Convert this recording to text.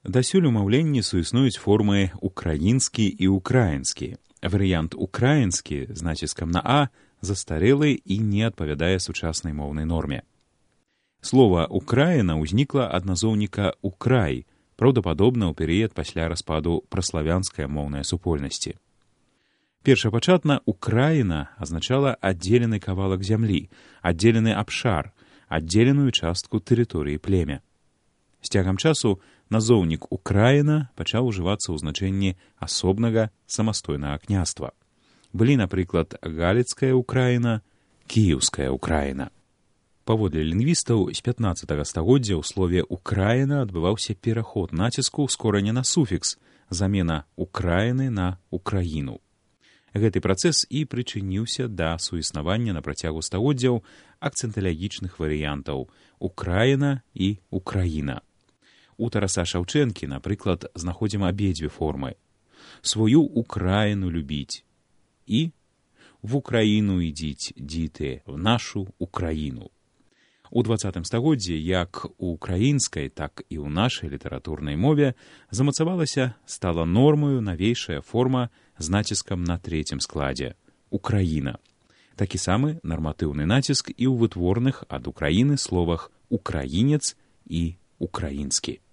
Дасюль у маўленні суіснуюць формы украінскі і ўкраінскі. Варыянт украінскі з націскам на «а» застарэлы і не адпавядае сучаснай моўнай норме. Слова «Украіна» ўзнікла ад назоўніка «украй», праўдападобна ў перыяд пасля распаду праславянскай моўнай супольнасці. Першапачатна «Украіна» азначала аддзелены кавалак зямлі, аддзелены абшар, аддзеленую частку тэрыторыі племя. З цягам часу назоўнік «Украіна» пачаў ужывацца ў значэнні асобнага самастойнага княства. Былі, напрыклад, Галіцкая Украіна, Кіеўская Украіна. Паводле лінгвістаў, з 15 стагоддзя ў слове «Украіна» адбываўся пераход націску з кораня на суфікс, замена «Украіны» на «Украіну». Гэты працэс і прычыніўся да суіснавання на працягу стагоддзяў акцэнталагічных варыянтаў «Украіна» і «Украіна». У Тараса Шаўчэнкі, напрыклад, знаходзім абедзве формы. «Свою Украіну любіць» і «В Украіну ідзіць, дзіты, в нашу Украіну». У 20 стагоддзі як у украінскай, так і ў нашай літаратурнай мове замацавалася, стала нормаю навейшая форма з націскам на трэцім складзе – «Украіна». Такі самы нарматыўны націск і ў вытворных ад Украіны словах «украінец» і «украінскі».